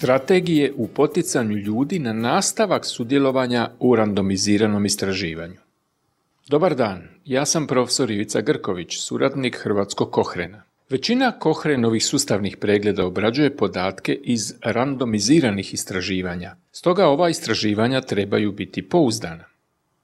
Strategije u poticanju ljudi na nastavak sudjelovanja u randomiziranom istraživanju. Dobar dan, ja sam profesor Ivica Grković, suradnik Hrvatskog Kohrena. Većina Kohrenovih sustavnih pregleda obrađuje podatke iz randomiziranih istraživanja, stoga ova istraživanja trebaju biti pouzdana.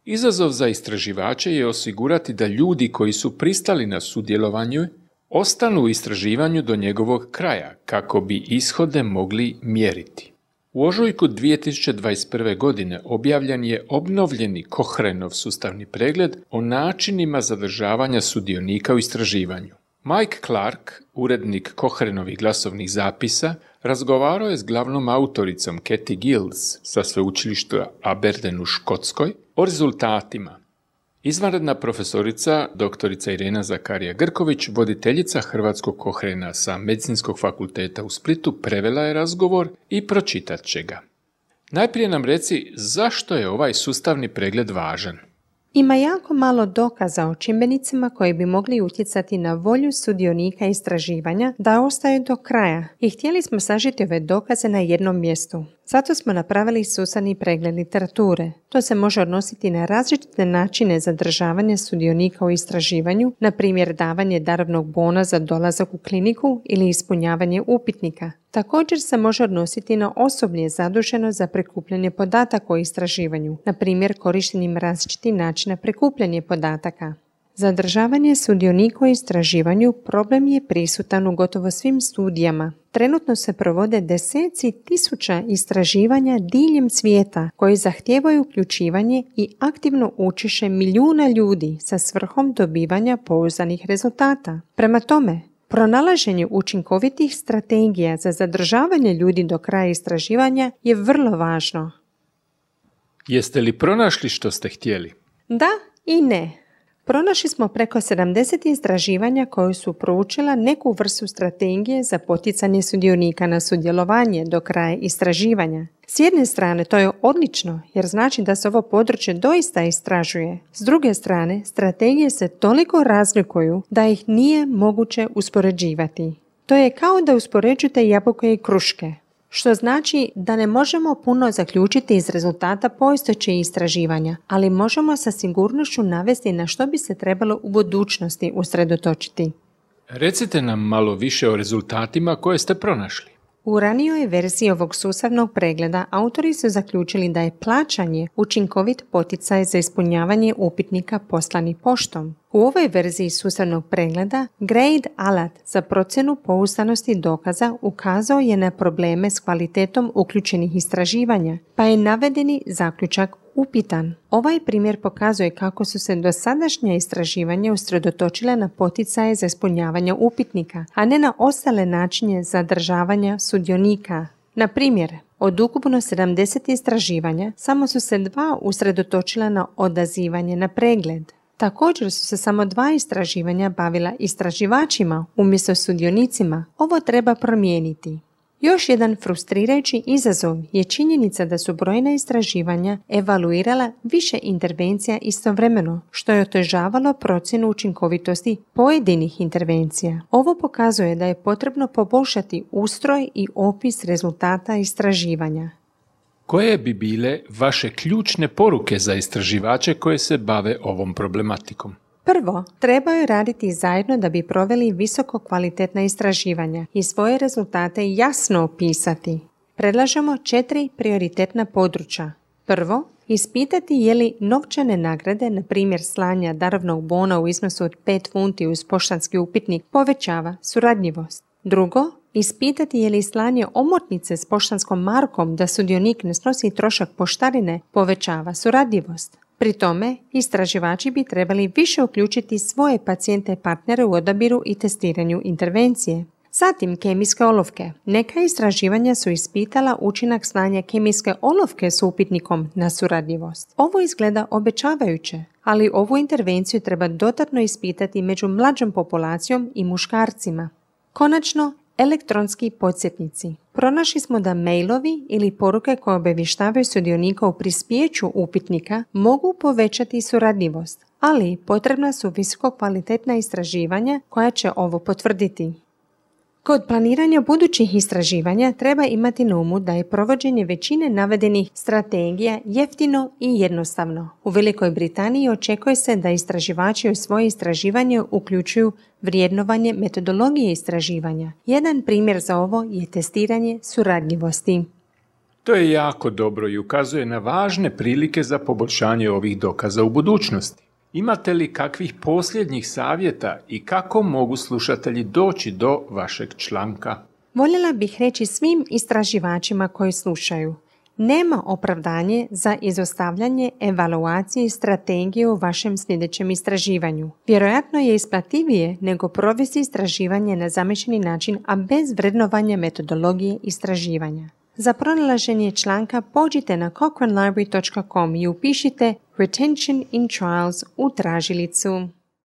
Izazov za istraživače je osigurati da ljudi koji su pristali na sudjelovanje ostanu u istraživanju do njegovog kraja, kako bi ishode mogli mjeriti. U ožujku 2021. godine objavljen je obnovljeni Kohrenov sustavni pregled o načinima zadržavanja sudionika u istraživanju. Mike Clark, urednik Kohrenovih glasovnih zapisa, razgovarao je s glavnom autoricom Cathy Gills sa sveučilišta Aberdeen u Škotskoj o rezultatima. Izvanredna profesorica, doktorica Irena Zakarija Grković, voditeljica Hrvatskog Kohrena sa Medicinskog fakulteta u Splitu, prevela je razgovor i pročitat će ga. Najprije nam reci zašto je ovaj sustavni pregled važan. Ima jako malo dokaza o čimbenicima koji bi mogli utjecati na volju sudionika istraživanja da ostaju do kraja i htjeli smo sažeti ove dokaze na jednom mjestu. Zato smo napravili sustavni pregled literature. To se može odnositi na različite načine zadržavanja sudionika u istraživanju, na primjer davanje darovnog bona za dolazak u kliniku ili ispunjavanje upitnika. Također se može odnositi na osoblje zaduženo za prikupljanje podataka o istraživanju, na primjer korištenjem različitih načina prikupljanja podataka. Zadržavanje sudionika u istraživanju problem je prisutan u gotovo svim studijama. Trenutno se provode deseci tisuća istraživanja diljem svijeta koji zahtijevaju uključivanje i aktivno učešće milijuna ljudi sa svrhom dobivanja pouzdanih rezultata. Prema tome, pronalaženje učinkovitih strategija za zadržavanje ljudi do kraja istraživanja je vrlo važno. Jeste li pronašli što ste htjeli? Da i ne. Pronašli smo preko 70 istraživanja koje su proučila neku vrstu strategije za poticanje sudionika na sudjelovanje do kraja istraživanja. S jedne strane to je odlično jer znači da se ovo područje doista istražuje. S druge strane, strategije se toliko razlikuju da ih nije moguće uspoređivati. To je kao da uspoređujete jabuke i kruške, što znači da ne možemo puno zaključiti iz rezultata postojećih istraživanja, ali možemo sa sigurnošću navesti na što bi se trebalo u budućnosti usredotočiti. Recite nam malo više o rezultatima koje ste pronašli. U ranijoj verziji ovog sustavnog pregleda autori su zaključili da je plaćanje učinkovit poticaj za ispunjavanje upitnika poslani poštom. U ovoj verziji sustavnog pregleda Grade alat za procjenu pouzdanosti dokaza ukazao je na probleme s kvalitetom uključenih istraživanja, pa je navedeni zaključak upitan. Ovaj primjer pokazuje kako su se dosadašnja istraživanja usredotočila na poticaje za ispunjavanje upitnika, a ne na ostale načine zadržavanja sudionika. Na primjer, od ukupno 70 istraživanja, samo su se 2 usredotočila na odazivanje na pregled. Također su se samo 2 istraživanja bavila istraživačima umjesto sudionicima. Ovo treba promijeniti. Još jedan frustrirajući izazov je činjenica da su brojna istraživanja evaluirala više intervencija istovremeno, što je otežavalo procjenu učinkovitosti pojedinih intervencija. Ovo pokazuje da je potrebno poboljšati ustroj i opis rezultata istraživanja. Koje bi bile vaše ključne poruke za istraživače koje se bave ovom problematikom? Prvo, trebaju raditi zajedno da bi proveli visoko kvalitetna istraživanja i svoje rezultate jasno opisati. Predlažemo 4 prioritetna područja. Prvo, ispitati je li novčane nagrade, na primjer slanja darovnog bona u iznosu od 5 funti uz poštanski upitnik, povećava suradljivost. Drugo, ispitati je li slanje omotnice s poštanskom markom da sudionik ne snosi trošak poštarine povećava suradljivost. Pri tome, istraživači bi trebali više uključiti svoje pacijente i partnere u odabiru i testiranju intervencije. Zatim, kemijske olovke. Neka istraživanja su ispitala učinak slanja kemijske olovke s upitnikom na suradljivost. Ovo izgleda obećavajuće, ali ovu intervenciju treba dodatno ispitati među mlađom populacijom i muškarcima. Konačno, elektronski podsjetnici. Pronašli smo da mailovi ili poruke koje obavještavaju sudionika o prispjeću upitnika mogu povećati suradljivost, ali potrebna su visoko kvalitetna istraživanja koja će ovo potvrditi. Kod planiranja budućih istraživanja treba imati na umu da je provođenje većine navedenih strategija jeftino i jednostavno. U Velikoj Britaniji očekuje se da istraživači u svoje istraživanje uključuju vrijednovanje metodologije istraživanja. Jedan primjer za ovo je testiranje suradljivosti. To je jako dobro i ukazuje na važne prilike za poboljšanje ovih dokaza u budućnosti. Imate li kakvih posljednjih savjeta i kako mogu slušatelji doći do vašeg članka? Voljela bih reći svim istraživačima koji slušaju: nema opravdanje za izostavljanje evaluacije i strategije u vašem sljedećem istraživanju. Vjerojatno je isplativije nego provesti istraživanje na zamišljeni način, a bez vrednovanja metodologije istraživanja. Za pronalaženje članka pođite na cochranelibrary.com i upišite Retention in Trials u tražilicu.